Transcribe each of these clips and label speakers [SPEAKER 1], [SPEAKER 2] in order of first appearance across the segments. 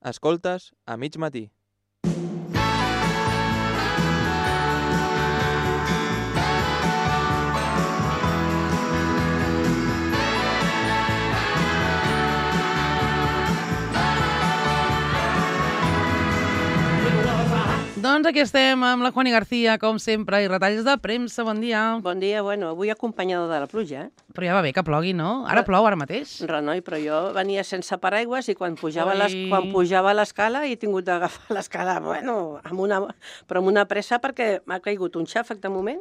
[SPEAKER 1] Escoltes a mig matí.
[SPEAKER 2] Doncs aquí estem amb la Juani García, com sempre, i retalls de premsa. Bon dia.
[SPEAKER 3] Bon dia, bueno, avui acompanyada de la pluja,
[SPEAKER 2] Però ja va bé que plogui, no? Ara plou, ara mateix.
[SPEAKER 3] Renoi, però jo venia sense paraigües i quan pujava a l'escala he tingut d'agafar l'escala, bueno, però amb una pressa perquè m'ha caigut un xàfec de moment.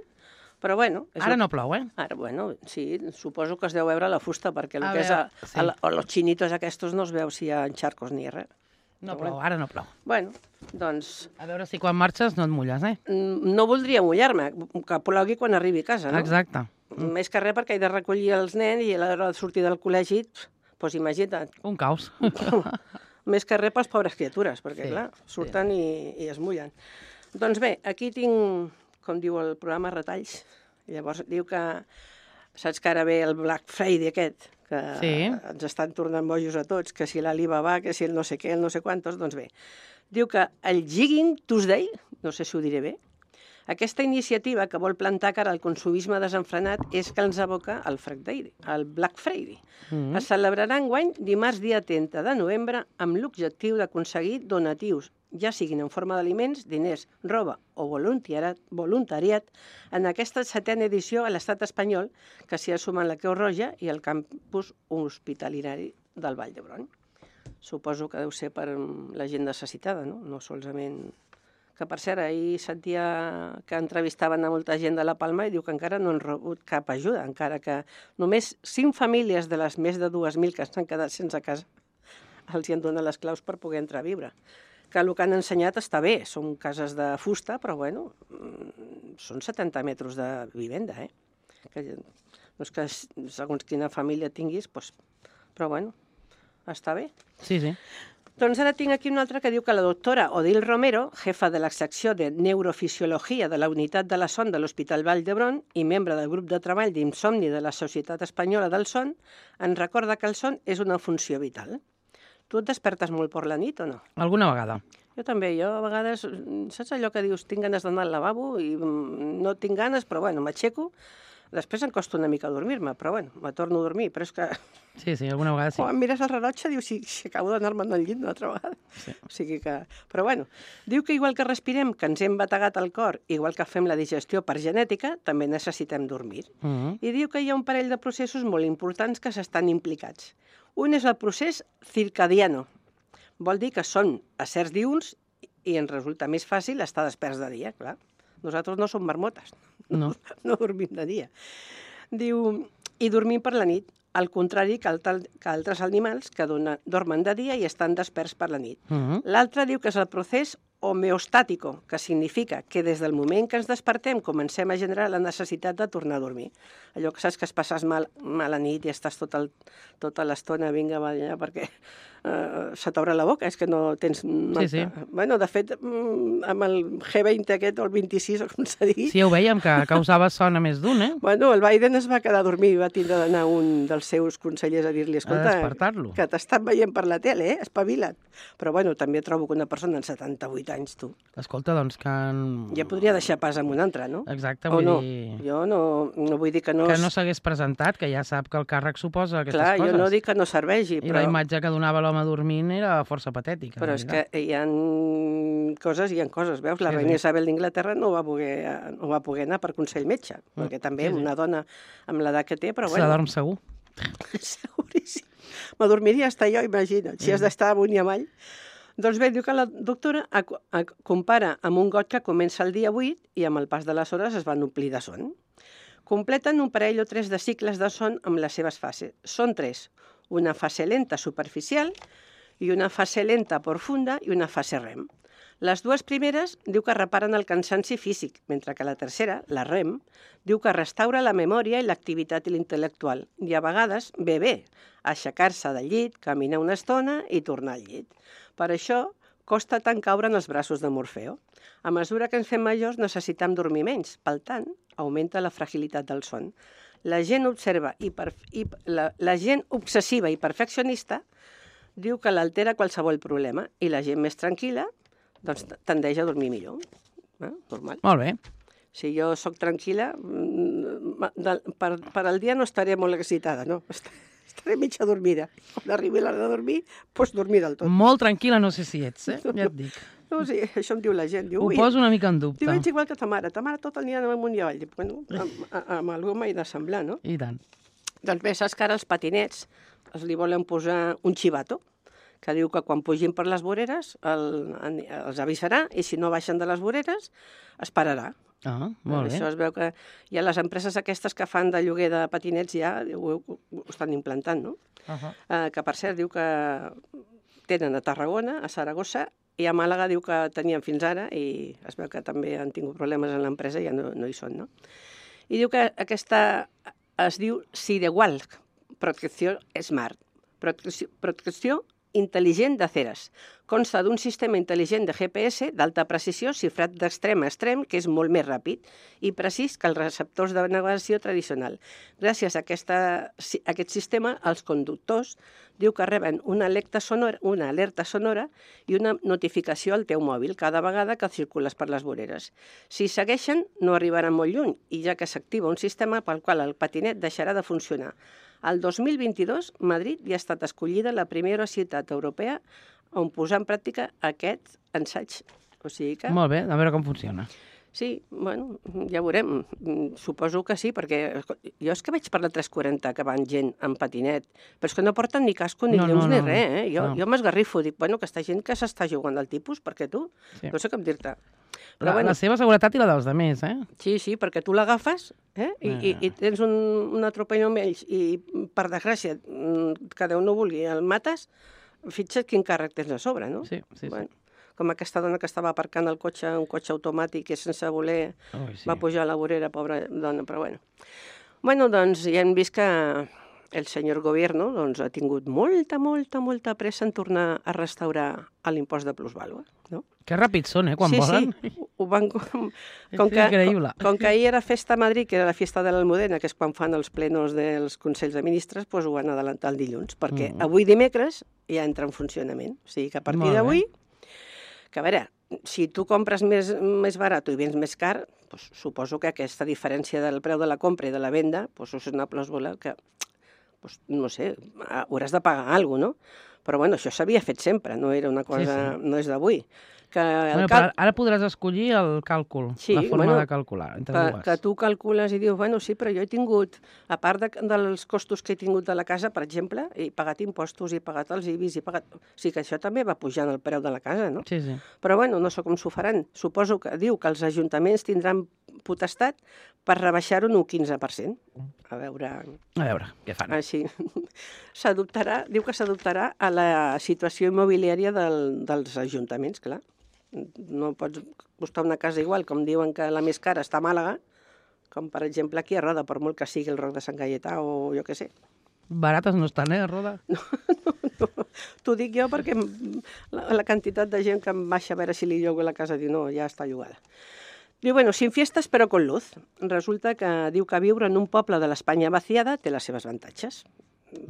[SPEAKER 3] Però bueno...
[SPEAKER 2] Ara no plou, eh?
[SPEAKER 3] Ara, bueno, sí, suposo que es deu veure la fusta, perquè el que és els xinitos aquests no es veu si hi ha xarcos ni res.
[SPEAKER 2] No plou, ara no plou.
[SPEAKER 3] Bueno, doncs...
[SPEAKER 2] A veure si quan marxes no et mulles, eh?
[SPEAKER 3] No voldria mullar-me, que plogui quan arribi a casa, no?
[SPEAKER 2] Exacte.
[SPEAKER 3] Més que res perquè he de recollir els nens i a l'hora de sortir del col·legi, doncs imagina't.
[SPEAKER 2] Un caos.
[SPEAKER 3] Més que res pels pobres criatures, perquè clar, surten i es mullen. Doncs bé, aquí tinc, com diu el programa, retalls. Llavors diu que, saps que ara ve el Black Friday aquest, que ens estan tornant bojos a tots, que si l'Alibaba, que si el no sé què, el no sé quantos, doncs bé. Diu que el Giving Tuesday, no sé si ho diré bé, aquesta iniciativa que vol plantar cara al consumisme desenfrenat és que ens aboca al Black Friday. Es celebrarà enguany dimarts dia 30 de novembre amb l'objectiu d'aconseguir donatius, ja siguin en forma d'aliments, diners, roba o voluntariat, en aquesta 7a edició a l'estat espanyol, que s'hi ha sumat la Creu Roja i el campus hospitalari del Vall d'Hebron. Suposo que deu ser per la gent necessitada, no? No solament... Que, per cert, ahir sentia que entrevistaven a molta gent de La Palma i diu que encara no han rebut cap ajuda, encara que només 5 famílies de les més de 2.000 que s'han quedat sense casa els hi han donat les claus per poder entrar a viure. Que el que han ensenyat està bé, són cases de fusta, però bueno, són 70 metres de vivenda, eh? Que no és que segons quina família tinguis, doncs, però bueno, està bé.
[SPEAKER 2] Sí, sí.
[SPEAKER 3] Doncs ara tinc aquí una altra que diu que la doctora Odil Romero, jefa de la secció de neurofisiologia de la unitat de la son de l'Hospital Vall d'Hebron i membre del grup de treball d'insomni de la Societat Espanyola del Son, ens recorda que el son és una funció vital. Tu et despertes molt per la nit o no?
[SPEAKER 2] Alguna vegada.
[SPEAKER 3] Jo també, a vegades, saps allò que dius, tinc ganes d'anar al lavabo i no tinc ganes, però bueno, m'aixeco. Després em costa una mica dormir-me, però bueno, me torno a dormir, però és que...
[SPEAKER 2] Sí, alguna vegada sí.
[SPEAKER 3] O em mires el rellotge, dius, si acabo d'anar-me'n al llit una altra vegada. Sí. O sigui que... Però bueno, diu que igual que respirem, que ens hem bategat el cor, igual que fem la digestió per genètica, també necessitem dormir. I diu que hi ha un parell de processos molt importants que s'estan implicats. Un és el procés circadiano. Vol dir que són a certs diürns i ens resulta més fàcil estar desperts de dia, clar. Nosaltres no som marmotes, no dormim de dia. Diu, i dormim per la nit, al contrari que altres animals que dormen de dia i estan desperts per la nit. L'altre diu que és el procés homeostàtico, que significa que des del moment que ens despertem comencem a generar la necessitat de tornar a dormir. Allò que saps que es passes mal a nit i estàs tota l'estona, vinga, va allà, perquè se t'obre la boca, és que no tens...
[SPEAKER 2] Sí.
[SPEAKER 3] Bueno, de fet, amb el G20 aquest, o el 26, o com s'ha dit...
[SPEAKER 2] Sí, ho veiem, que causava son a més d'un, eh?
[SPEAKER 3] Bueno, el Biden es va quedar a dormir i va tindre d'anar un dels seus consellers a dir-li, escolta, que t'estan veient per la tele, espavila't. Però bueno, també trobo que una persona en 78 anys, tu.
[SPEAKER 2] Escolta, doncs que...
[SPEAKER 3] Ja podria deixar pas amb un altre, no?
[SPEAKER 2] Exacte, vull dir...
[SPEAKER 3] Jo no vull dir que no...
[SPEAKER 2] Que no s'hagués presentat, que ja sap que el càrrec suposa aquestes coses.
[SPEAKER 3] Clar, jo no dic que no serveixi,
[SPEAKER 2] però... I la imatge que donava l'home dormint era força patètica.
[SPEAKER 3] Però és que hi ha coses, veus? La reina Isabel d'Inglaterra no va poder anar per consell metge, perquè també una dona amb l'edat que té, però bueno...
[SPEAKER 2] S'adorm segur.
[SPEAKER 3] Seguríssim. M'adormiria estar jo, imagina't, si has d'estar amunt i avall. Doncs bé, diu que la doctora compara amb un got que comença el dia 8 i amb el pas de les hores es van omplir de son. Completen un parell o 3 de cicles de son amb les seves fases. Són 3. Una fase lenta superficial i una fase lenta profunda i una fase REM. Les dues primeres diu que reparen el cansanci físic, mentre que la tercera, la REM, diu que restaura la memòria i l'activitat intel·lectual. I a vegades ve bé aixecar-se del llit, caminar una estona i tornar al llit. Per això costa tant caure en els braços de Morfeo. A mesura que ens fem majors necessitem dormir menys, per tant, augmenta la fragilitat del son. La gent obsessiva i perfeccionista diu que l'altera qualsevol problema i la gent més tranquil·la doncs tendeix a dormir millor. Normal.
[SPEAKER 2] Molt bé.
[SPEAKER 3] Si jo sóc tranquil·la, per al dia no estaré molt excitada, no? Estaré mitja dormida. Quan arribi l'hora de dormir, doncs dormir del tot.
[SPEAKER 2] Molt tranquil·la no sé si ets, ja et dic.
[SPEAKER 3] No, sí, això em diu la gent. Diu,
[SPEAKER 2] Ho poso una mica en dubte.
[SPEAKER 3] Diu, ets igual que ta mare. Ta mare tot el dia anava amunt i avall. Dic, bueno, amb algú m'he de semblar, no?
[SPEAKER 2] I tant.
[SPEAKER 3] Doncs bé, saps que ara els patinets li volen posar un xivato, que diu que quan pugin per les voreres els avisarà i si no baixen de les voreres es pararà.
[SPEAKER 2] Ah, molt bé.
[SPEAKER 3] Això es veu que hi ha les empreses aquestes que fan de lloguer de patinets ja ho estan implantant, no? Que per cert diu que tenen a Tarragona, a Saragossa, i a Màlaga diu que tenien fins ara i es veu que també han tingut problemes en l'empresa i ja no hi són, no? I diu que aquesta es diu Sidewalk, Protecció Smart, protecció intel·ligent de ceres. Consta d'un sistema intel·ligent de GPS d'alta precisió xifrat d'extrem a extrem, que és molt més ràpid i precís que els receptors de navegació tradicional. Gràcies a aquest sistema, els conductors diu que reben una alerta sonora i una notificació al teu mòbil cada vegada que circules per les voreres. Si segueixen, no arribaran molt lluny, i ja que s'activa un sistema pel qual el patinet deixarà de funcionar. El 2022, Madrid ja ha estat escollida la primera ciutat europea on posar en pràctica aquest ensaig. O sigui que...
[SPEAKER 2] Molt bé, a veure com funciona.
[SPEAKER 3] Sí, bueno, ja veurem. Suposo que sí, perquè jo és que veig per la 340 que van gent amb patinet, però és que no porten ni casco, ni llums, ni res, Jo m'esgarrifo, dic, bueno, aquesta gent que s'està jugant al tipus, perquè tu? No sé com dir-te.
[SPEAKER 2] La seva seguretat i la dels altres,
[SPEAKER 3] Sí, perquè tu l'agafes i tens un atropelló amb ells i, per desgràcia, que Déu no vulgui, el mates, fixa't quin càrrec tens a sobre, no?
[SPEAKER 2] Sí.
[SPEAKER 3] Com aquesta dona que estava aparcant el cotxe, un cotxe automàtic i sense voler va pujar a la vorera, pobra dona, però bueno. Bueno, doncs ja hem vist que el senyor Gobierno ha tingut molta pressa en tornar a restaurar l'impost de plusvàlua, no?
[SPEAKER 2] Que ràpids són, quan volen.
[SPEAKER 3] Sí, ho van...
[SPEAKER 2] Increïble.
[SPEAKER 3] Com que ahir era festa a Madrid, que era la festa de l'Almudena, que és quan fan els plenos dels Consells de Ministres, doncs ho van adelantar el dilluns, perquè avui dimecres ja entra en funcionament. O sigui que a partir d'avui, que a veure, si tu compres més barat i vens més car, doncs suposo que aquesta diferència del preu de la compra i de la venda és una plàusula que, no sé, hauràs de pagar alguna cosa, no? Però bueno, això s'havia fet sempre, no era una cosa, no és d'avui.
[SPEAKER 2] Ara podràs escollir el càlcul, la forma de calcular, entre dues.
[SPEAKER 3] Que tu calcules i dius, bueno, sí, però jo he tingut, a part dels costos que he tingut de la casa, per exemple, he pagat impostos, he pagat els IBIs, O sigui que això també va pujant el preu de la casa, no?
[SPEAKER 2] Sí.
[SPEAKER 3] Però bueno, no sé com s'ho faran. Suposo que diu que els ajuntaments tindran potestat per rebaixar-ho un 15%. A veure
[SPEAKER 2] què fan.
[SPEAKER 3] Així. Diu que s'adoptarà a la situació immobiliària dels ajuntaments, clar. No pots costar una casa igual, com diuen que la més cara està a Màlaga, com per exemple aquí a Roda, per molt que sigui el Roc de Sant Gaietà o jo què sé.
[SPEAKER 2] Barates no estan, a Roda?
[SPEAKER 3] No. T'ho dic jo perquè la quantitat de gent que em baixa a veure si li llogo la casa diu no, ja està llogada. Diu, bueno, sin fiestas però con luz. Resulta que diu que viure en un poble de l'Espanya vaciada té les seves avantatges.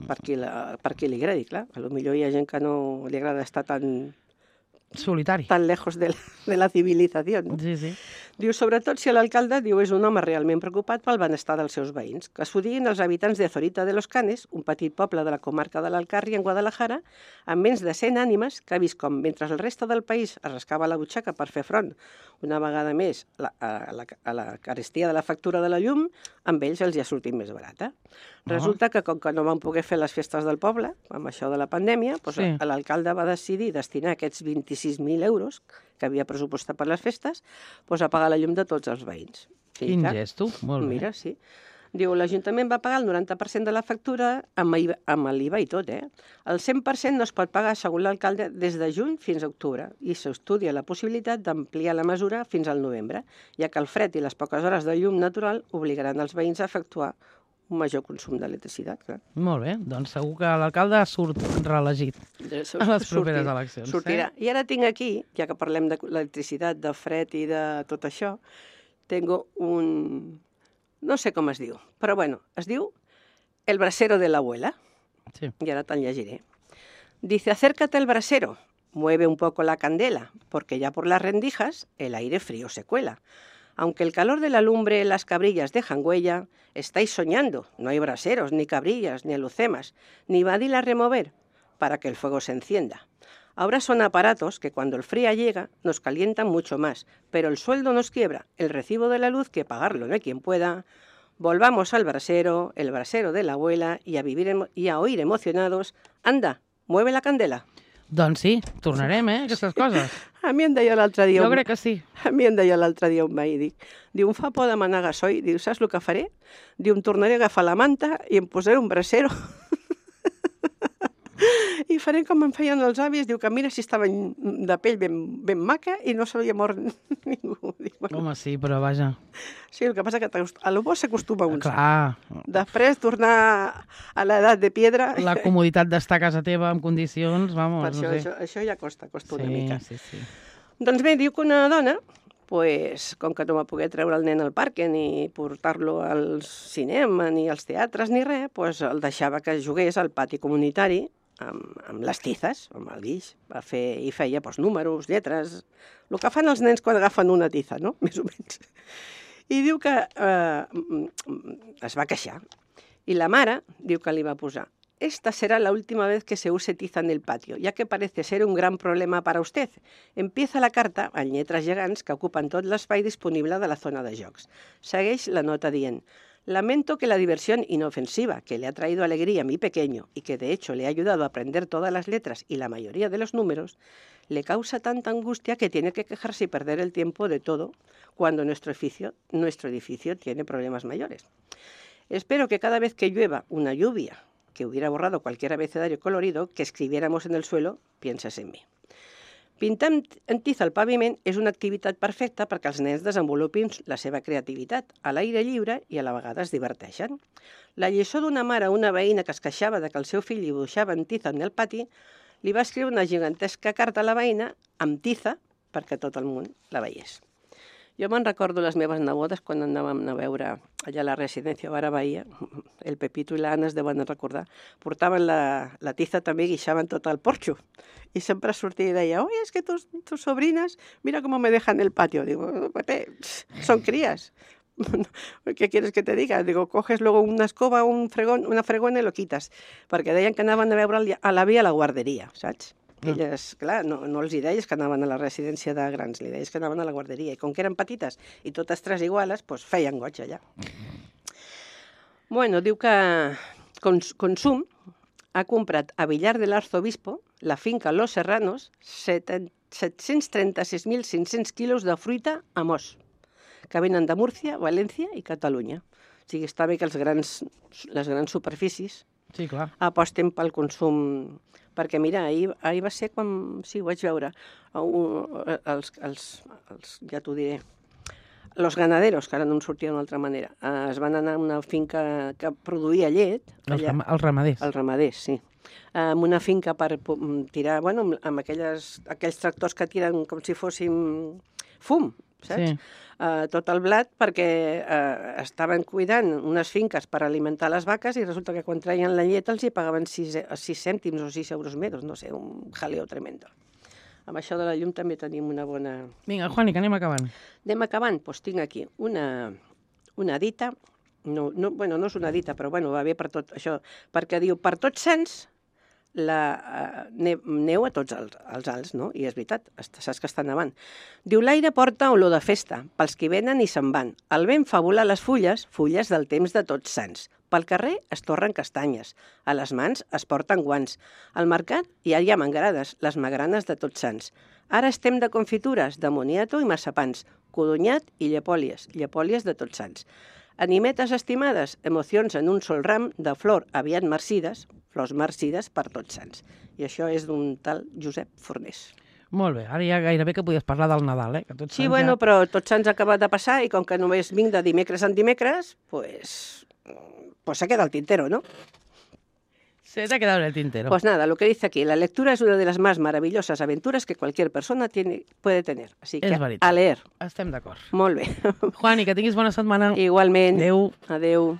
[SPEAKER 3] Per qui li agradi, clar. Potser hi ha gent que no li agrada estar tan lejos de la civilizació. No?
[SPEAKER 2] Sí.
[SPEAKER 3] Diu, sobretot si l'alcalde és un home realment preocupat pel benestar dels seus veïns. Que s'ho diguin els habitants de Zorita de los Canes, un petit poble de la comarca de l'Alcarri, en Guadalajara, amb menys de 100 ànimes, que ha vist com, mentre el reste del país es rascava la butxaca per fer front una vegada més a la carestia de la factura de la llum, amb ells els hi ha sortit més barata. Resulta que, com que no van poder fer les festes del poble, amb això de la pandèmia, l'alcalde va decidir destinar aquests 26.000 euros que havia pressupostat per les festes a pagar la llum de tots els veïns.
[SPEAKER 2] Quin gesto, molt bé.
[SPEAKER 3] Mira, sí. Diu, l'Ajuntament va pagar el 90% de la factura amb l'IVA i tot, El 100% no es pot pagar, segons l'alcalde, des de juny fins a octubre, i s'estudia la possibilitat d'ampliar la mesura fins al novembre, ja que el fred i les poques hores de llum natural obligaran els veïns a efectuar un major consum d'electricitat, clar.
[SPEAKER 2] Molt bé, doncs segur que l'alcalde surt reelegit a les properes eleccions.
[SPEAKER 3] Sortirà. I ara tinc aquí, ja que parlem d'electricitat, de fred i de tot això, tengo un... no sé com es diu, però bueno, es diu El brasero de l'abuela.
[SPEAKER 2] Sí.
[SPEAKER 3] I ara te'l llegiré. Dice, acércate al brasero, mueve un poco la candela, porque ya por las rendijas el aire frío se cuela. Aunque el calor de la lumbre las cabrillas dejan huella, estáis soñando, no hay braseros, ni cabrillas, ni alucemas, ni badil a remover para que el fuego se encienda. Ahora son aparatos que cuando el frío llega nos calientan mucho más, pero el sueldo nos quiebra, el recibo de la luz que pagarlo no hay quien pueda. Volvamos al brasero, el brasero de la abuela, y a vivir y a oír emocionados, anda, mueve la candela.
[SPEAKER 2] Doncs sí, tornarem, aquestes coses.
[SPEAKER 3] A mi em deia l'altre dia...
[SPEAKER 2] Jo crec que sí.
[SPEAKER 3] A mi em deia l'altre dia un veí, diu, em fa por demanar gasoil, diu, saps el que faré? Diu, em tornaré a agafar la manta i em posaré un brasero. I faré com em feien els avis, diu que mira si estaven de pell ben maca i no se li ha mort ningú. Diu, bueno,
[SPEAKER 2] Home, sí, però vaja.
[SPEAKER 3] sí, el que passa que a lo bo s'acostuma un.
[SPEAKER 2] Clar,
[SPEAKER 3] Després tornar a l'edat de piedra...
[SPEAKER 2] la comoditat d'estar a casa teva en condicions, vamos,
[SPEAKER 3] Per
[SPEAKER 2] no sé.
[SPEAKER 3] això ja costa una
[SPEAKER 2] Sí,
[SPEAKER 3] mica.
[SPEAKER 2] sí, sí.
[SPEAKER 3] Doncs bé, diu que una dona, pues, com que no va poder treure el nen al parc ni portar-lo al cinema, ni als teatres, ni res, pues, el deixava que jugués al pati comunitari amb les tizes, amb el guix, i feia pues, números, lletres, el que fan els nens quan agafen una tiza, no? Més o menys. I diu que es va queixar. I la mare diu que li va posar: esta será la última vez que se use tiza en el patio, ya que parece ser un gran problema para usted. Empieza la carta en lletres gegants que ocupen tot l'espai disponible de la zona de jocs. Segueix la nota dient: lamento que la diversión inofensiva que le ha traído alegría a mi pequeño y que de hecho le ha ayudado a aprender todas las letras y la mayoría de los números, le causa tanta angustia que tiene que quejarse y perder el tiempo de todo cuando nuestro edificio tiene problemas mayores. Espero que cada vez que llueva una lluvia que hubiera borrado cualquier abecedario colorido que escribiéramos en el suelo, pienses en mi. Pintar en tiza al paviment és una activitat perfecta perquè els nens desenvolupin la seva creativitat a l'aire lliure i a la vegada es diverteixen. La lliçó d'una mare a una veïna que es queixava de que el seu fill dibuixava en tiza en el pati li va escriure una gigantesca carta a la veïna amb tiza perquè tot el món la veiés. Jo me'n recordo les meves nebodes quan anàvem a veure allà a la residència Vara Bahia, el Pepito i l'Anna es deuen recordar, portaven la tiza també i guixaven tot el porxo. I sempre sortia i deia, oye, es que tus sobrinas, mira cómo me dejan el patio. Digo, Pepe, son crías. ¿Qué quieres que te diga? Digo, coges luego una escoba, una fregona i lo quitas. Perquè deien que anaven a veure a l'avi a la guarderia, saps? Elles, clar, no els hi deies que anaven a la residència de grans, li deies que anaven a la guarderia. I com que eren petites i totes tres iguales, doncs feien goig allà. Bueno, diu que Consum ha comprat a Villar del Arzobispo, la finca Los Serranos, 736.500 quilos de fruita a mos, que venen de Múrcia, València i Catalunya. O sigui, està bé que les grans superfícies
[SPEAKER 2] Sí, clar.
[SPEAKER 3] aposten pel consum. Perquè, mira, ahir va ser quan... Sí, ho vaig veure. Ja t'ho diré. Los ganaderos, que ara no em sortia d'una altra manera, es van anar a una finca que produïa llet.
[SPEAKER 2] Els ramaders.
[SPEAKER 3] Els ramaders, sí. En una finca per tirar, bueno, amb aquells tractors que tiren com si fossin fum, saps?
[SPEAKER 2] Sí.
[SPEAKER 3] Tot el blat, perquè estaven cuidant unes finques per alimentar les vaques i resulta que quan traien la llet els hi pagaven 6 cèntims o 6 euros menos, no sé, un jaleo tremendo. Amb això de la llum també tenim una bona...
[SPEAKER 2] Vinga, Juani, que anem acabant.
[SPEAKER 3] Anem acabant? Doncs tinc aquí una dita, bueno, no és una dita, però bueno, va bé per tot això, perquè diu, per Tots Sants, neu a tots els alts, no? I és veritat, saps que està nevant. Diu, l'aire porta olor de festa, pels que venen i se'n van. El vent fa volar les fulles del temps de Tots Sants. Pel carrer es torren castanyes, a les mans es porten guants. Al mercat ja hi ha mangrades, les magranes de Tots Sants. Ara estem de confitures, de moniato i massapans, codonyat i llepòlies de Tots Sants. Animetes estimades, emocions en un sol ram de flor aviat marcides, flors marcides per Tots Sants. I això és d'un tal Josep Fornés.
[SPEAKER 2] Molt bé, ara ja gairebé que podies parlar del Nadal, Que Tots
[SPEAKER 3] Sí,
[SPEAKER 2] Sants
[SPEAKER 3] bueno,
[SPEAKER 2] ja...
[SPEAKER 3] però Tots Sants ha acabat de passar i com que només vinc de dimecres en dimecres, pues se queda el tintero, ¿no?
[SPEAKER 2] Se te ha quedado en el tintero.
[SPEAKER 3] Pues nada, lo que dice aquí, la lectura es una de las más maravillosas aventuras que cualquier persona puede tener. Así que a leer.
[SPEAKER 2] Estem d'acord.
[SPEAKER 3] Molt bé.
[SPEAKER 2] Juani, que tinguis bona setmana.
[SPEAKER 3] Igualment.
[SPEAKER 2] Adéu.
[SPEAKER 3] Adéu.